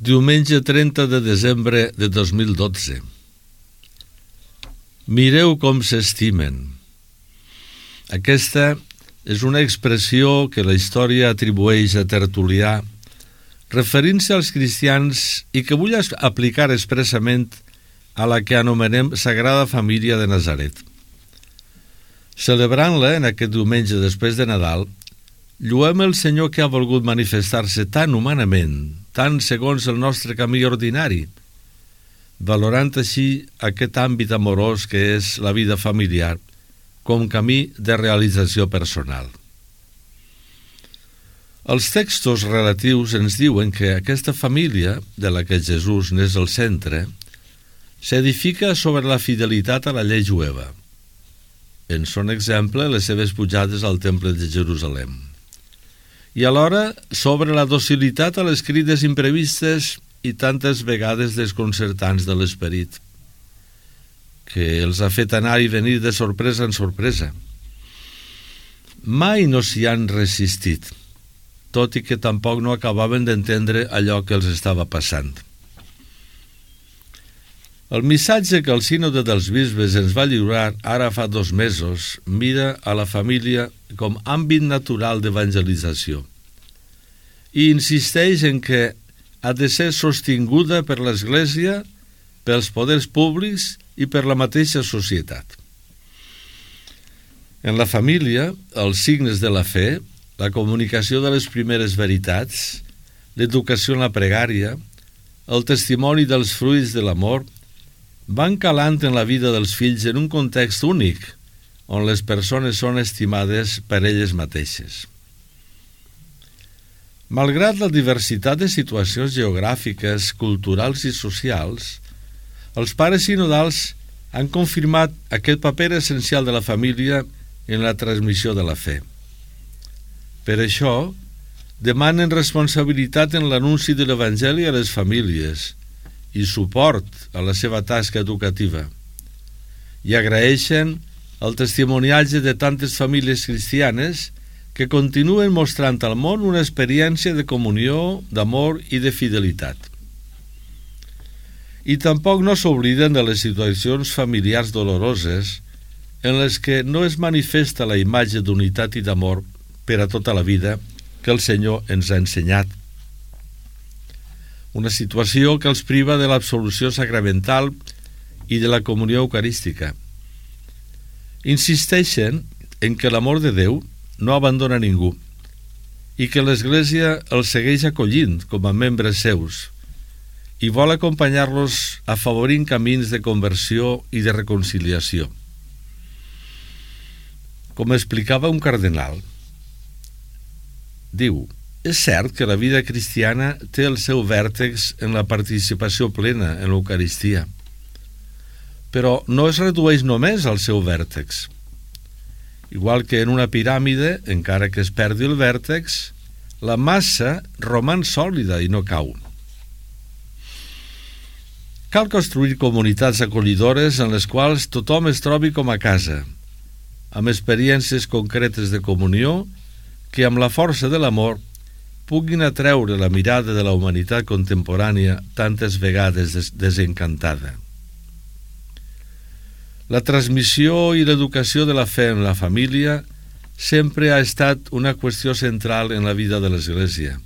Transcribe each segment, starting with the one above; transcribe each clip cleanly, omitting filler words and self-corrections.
Diumenge 30 de desembre de 2012. Mireu com s'estimen. Aquesta és una expressió que la història atribueix a Tertulià, referint-se als cristians i que vull aplicar expressament a la que anomenem Sagrada Família de Nazaret. Celebrant-la en aquest diumenge després de Nadal, lluem el Senyor que ha volgut manifestar-se tan humanament, tan segons el nostre camí ordinari, valorant així aquest àmbit amorós que és la vida familiar com camí de realització personal. Els textos relatius ens diuen que aquesta família, de la que Jesús n'és el centre, s'edifica sobre la fidelitat a la llei jueva. En són exemple les seves pujades al temple de Jerusalem. I alhora sobre la docilitat a les crides imprevistes i tantes vegades desconcertants de l'esperit, que els ha fet anar i venir de sorpresa en sorpresa. Mai no s'hi han resistit, tot i que tampoc no acabaven d'entendre allò que els estava passant. El missatge que el Sínode dels Bisbes ens va lliurar ara fa 2 mesos mira a la família com àmbit natural d'evangelització i insisteix en que ha de ser sostinguda per l'Església, pels poders públics i per la mateixa societat. En la família, els signes de la fe, la comunicació de les primeres veritats, l'educació en la pregària, el testimoni dels fruits de l'amor, van calant en la vida dels fills en un context únic, on les persones són estimades per elles mateixes. Malgrat la diversitat de situacions geogràfiques, culturals i socials, els pares sinodals han confirmat aquest paper essencial de la família en la transmissió de la fe. Per això, demanen responsabilitat en l'anunci de l'Evangeli a les famílies i suport a la seva tasca educativa, i agraeixen el testimoniatge de tantes famílies cristianes que continuen mostrant al món una experiència de comunió, d'amor i de fidelitat. I tampoc no s'obliden de les situacions familiars doloroses en les que no es manifesta la imatge d'unitat i d'amor per a tota la vida que el Senyor ens ha ensenyat. Una situació que els priva de l'absolució sacramental i de la comunió eucarística. Insisteixen en que l'amor de Déu no abandona ningú i que l'Església els segueix acollint com a membres seus i vol acompanyar-los afavorint camins de conversió i de reconciliació. Com explicava un cardenal, diu: és cert que la vida cristiana té el seu vèrtex en la participació plena en l'Eucaristia, però no es redueix només al seu vèrtex. Igual que en una piràmide, encara que es perdi el vèrtex, la massa roman sòlida i no cau. Cal construir comunitats acollidores en les quals tothom es trobi com a casa, amb experiències concretes de comunió que amb la força de l'amor puguin atreure la mirada de la humanitat contemporània tantes vegades desencantada. La transmissió i l'educació de la fe en la família sempre ha estat una qüestió central en la vida de l'Església,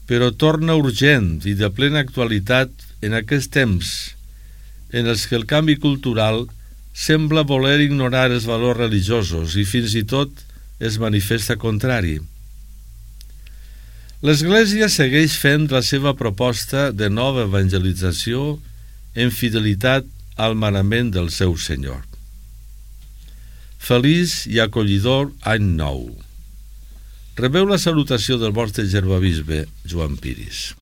però torna urgent i de plena actualitat en aquests temps en els que el canvi cultural sembla voler ignorar els valors religiosos i fins i tot es manifesta contrari. L'Església segueix fent la seva proposta de nova evangelització en fidelitat al manament del seu Senyor. Feliç i acollidor any nou. Rebeu la salutació del vostre germà bisbe Joan Piris.